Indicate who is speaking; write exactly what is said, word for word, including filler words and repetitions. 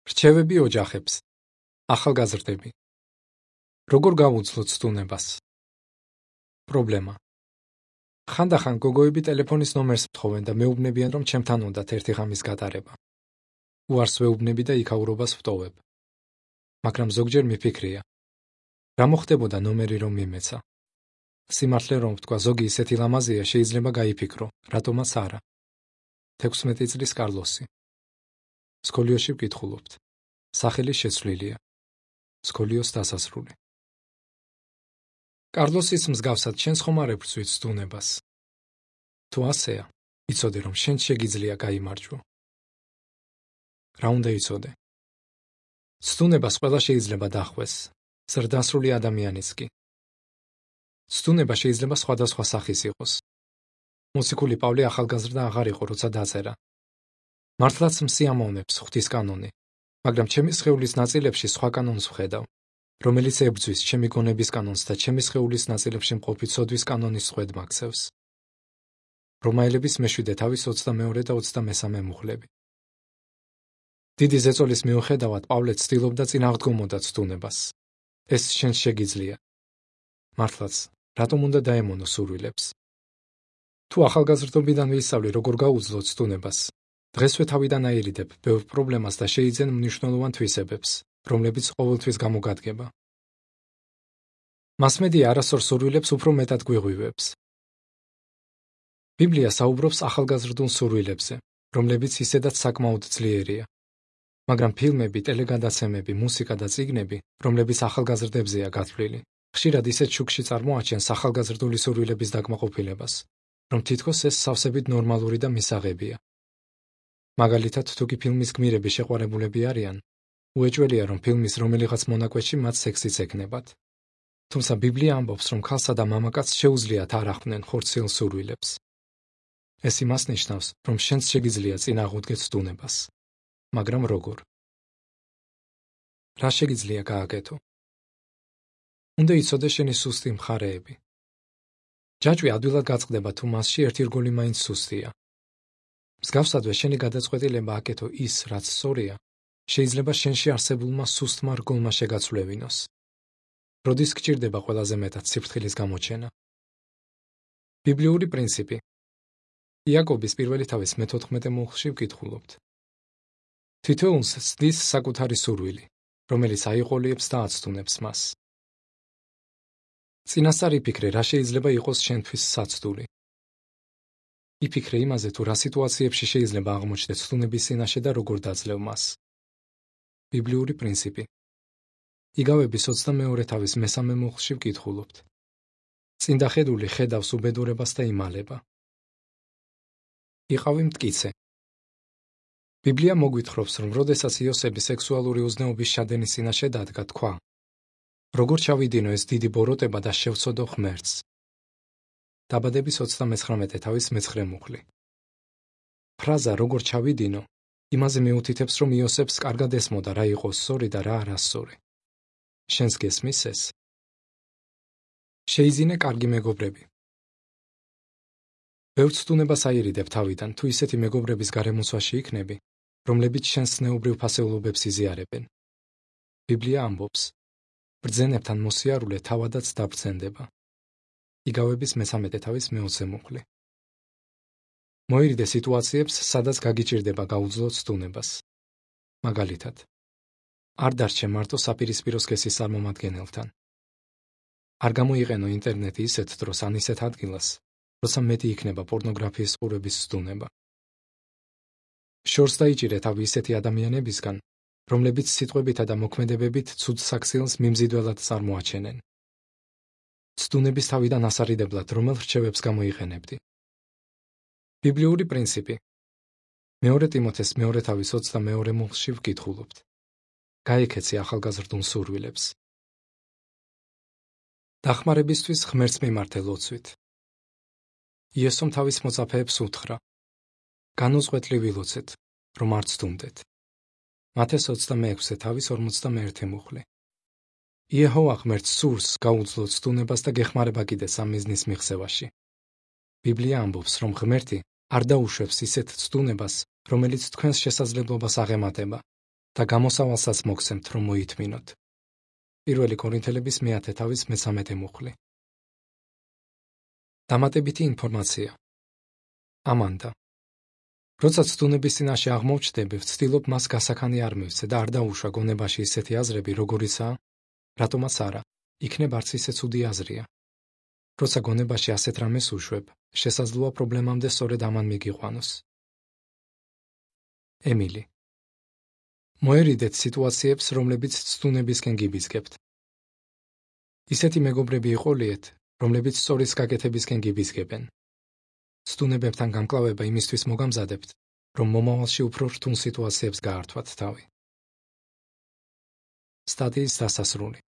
Speaker 1: რჩევები ოჯახებს. ახალგაზრდები. როგორ გავუძლოთ სტუნებას? პრობლემა. ხანდახან გოგოები ტელეფონის ნომერს მთხოვენ და მეუბნებიან, რომ ჩემთან უნდათ ერთი ღამის გატარება. უარს ვეუბნები და იქაურობას ვტოვებ. მაგრამ ზოგჯერ მიფიქრია. რა მოხდებოდა ნომერი რომ მიმეცა? სიმართლე რომ ვთქვა, ზოგი ისეთი ლამაზია, შეიძლება გაიფიქრო, რატომაც არა. თექვსმეტი წლის კარლოსი. სკოლიოში ვკითხულობთ. სახელი შეცვლილია. სკოლიოს დასასრული. კარლოსის მსგავსად შენს ხომ არ ეფრწვით სტუნებას? თუ ასეა, იცოდე რომ შენ შეგიძლია გაიმარჯვო. რა უნდა იცოდე? სტუნებას ყველა შეიძლება დახვეს, ზრდასრული ადამიანიც კი. სტუნება შეიძლება სხვადასხვა სახის იყოს. მოციქული პავლე ახალგაზრდა აღარ იყო, როცა დაწერა. მართლაც მსიამოვნებს ღვთის კანონი, მაგრამ ჩემი სხეულის ნაწილებში სხვა კანონს ვხედავ, რომელიც ებრძვის ჩემი გონების კანონს და ჩემი სხეულის ნაწილებში მყოფი ცოდვის კანონის ხვედ მაქცევს. რომაელების მეშვიდე თავის ოცდამეორე და ოცდამესამე მუხლები. დიდი ზეწოლის მიუხედავად პავლე ცდილობდა წინააღდგომოდა სტუნებას. ეს შენ შეგიძლია. მართლაც, რატომ უნდა დაემონო სურვილებს? თუ ახალგაზრდობიდან ვისწავლი, როგორ გაუძლოთ სტუნებას, დღესვე თავიდან აირიდებ ბევრ პრობლემას და შეიძენ მნიშვნელოვან თვისებებს, რომლებიც ყოველთვის გამოგადგება. მასმედია არასორ სურვილებს უფრო მეტად გვიღვივებს. ბიბლია საუბრობს ახალგაზრდულ სურვილებზე, რომლებიც ისედაც საკმაოდ ძლიერია. მაგრამ ფილმები, ტელეგადაცემები, მუსიკა და წიგნები, რომლებიც ახალგაზრდებზეა გათვლილი, ხშირად ისეთ შუქში წარმოაჩენს ახალგაზრდული სურვილების დაკმაყოფილებას, რომ თითქოს ეს სავსებით ნორმალური და მისაღებია. მაგალითად, თუ კი ფილმის გმირები შეყვარებულები არიან, უეჭველია, რომ ფილმის რომელიღაც მონაკვეთში მათ სექსიც ექნებათ. თუმცა ბიბლია ამბობს, რომ ქალსა და მამაკაცს შეუძლიათ არ ახვნენ ხორციელ სურვილებს. ეს იმას ნიშნავს, რომ შენც შეგიძლია წინააღმდეგეთ სტუნებას. მაგრამ როგორ? რა შეგიძლია გააკეთო? უნდა იცოდე შენი სუსტი მხარეები. ჯაჭვი ადვილად გაწყდება, თუ მასში ერთი რგოლი მაინც სუსტია. მსგავსადვე შენი გადაწყვეტილება აკეთო ის, რაც სწორია, შეიძლება შენში არსებულმა სუსტმა რგოლმა შეგაცვლევინოს. როდის გჭირდება ყველაზე მეტად სიფრთხილის გამოჩენა? ბიბლიური პრინციპი. იაკობის პირველი თავის მეთოთხმეტე მუხლში ვკითხულობთ. თითოეულს ცდის საკუთარი სურვილი, რომელიც აიყოლიებს და აცდუნებს მას. წინასწარ იფიქრე, რა შეიძლება იყოს შენთვის საცდული. იფიქრე იმაზე, თუ რა სიტუაციებში შეიძლება აღმოჩნდე სტუნების წინაშე და როგორ დაძლევ მას. ბიბლიური პრინციპი. იგავების ოცდამეორე თავის მესამე მუხლში ვკითხულობთ. წინდახედული ხედავს უბედურებას და იმალება. იყავი მტკიცე. ბიბლია მოგვითხრობს, რომ როდესაც იოსები სექსუალური უზნეობის შადენის წინაშე დადგა, თქვა: როგორ ჩავიდინო ეს დიდი ბოროტება და შევცოდო ღმერთს. დაბადების ოცდამეცხრამეტე თავის მეცხრე მუხლი. ფრაზა როგორ ჩავიდინო იმაზე მიუთითებს, რომ იოსებს კარგად ესმოდა რა იყო სწორი და რა არასწორი. შენს გესმის ეს? შეიძინე კარგი მეგობრები. ბევრ სტუნებას აირიდებ თავიდან, თუ ისეთი მეგობრების გარემოცვაში იქნები, რომლებიც შენს ზნეობრივ ფასეულობებს იზიარებენ. ბიბლია ამბობს: ბრძენებთან მოსიარულე თავადაც დაბრძენდება. იგავების მესამეტე თავის მეოცე მუხლი. მოირიდე სიტუაციებს, სადაც გაგიჭირდება გაუძლოთ სტუნებას. მაგალითად, არ დარჩე მარტო საპირისპირო სქესის წარმომადგენელთან. არ გამოიყენო ინტერნეტი ისეთ დროს ან ისეთ ადგილას, როცა მეტი იქნება პორნოგრაფიის ყურების სტუნება. შორს დაიჭირე თავი ისეთი ადამიანებისგან, რომლებიც სიტყვებითა და მოქმედებებით ცუდ საქციელს მიმზიდველად წარმოაჩენენ. სტუნების თავიდან ასარიდებლად რომელ რჩევებს გამოიყენებდი? ბიბლიური პრინციპი. მეორე ტიმოთეს მეორე თავის ოცდამეორე მუხლში ვკითხულობთ. გაიქეცი ახალგაზრდულ სურვილებს. დახმარებისთვის ღმერთს მიმართე ლოცვით. იესომ თავის მოწაფეებს უთხრა: განუწყვეტლი ვილოცეთ, რომ არ ცდუნდეთ. მათეს ოცდამეექვსე თავის ორმოცდამეერთე მუხლი. იეჰოვა ღმერთს სურს გაუძლოთ სტუნებას და გეხმარება კიდეც ამ მიზნის მიღწევაში. ბიბლია ამბობს, რომ ღმერთი არ დაუშვებს ისეთ ცდუნებას, რომელიც თქვენს შესაძლებლობას აღემატება და გამოსავალსაც მოგცემთ, რომ მოითმინოთ. პირველი კორინთელების მეათე თავის მესამედე მუხლი. დამატებითი ინფორმაცია. ამანდა. როცა ცდუნების წინაშე აღმოჩნდები, ვცდილობ მას გასახანი არ მივცე და არ დაუშვა გონებაში ისეთი აზრები, როგორიცაა, რატომაც არა, იქნებ არც ისე ცუდი აზრია. როცა გონებაში ასეთ რამეს უშვებ, შესაძლოა პრობლემამდე სწორედ ამან მიგიყვანოს. ემილი. მოერიდეთ სიტუაციებს, რომლებიც ცდუნებისკენ გიბიძგებთ. ისეთი მეგობრები იყოლიეთ, რომლებიც სწორის გაკეთებისკენ გიბიძგებენ. ცდუნებებთან გამკლავება იმისთვის მოგამზადებთ, რომ მომავალში უფრო რთულ სიტუაციებს გაართვათ თავი. სტატიის დასასრული.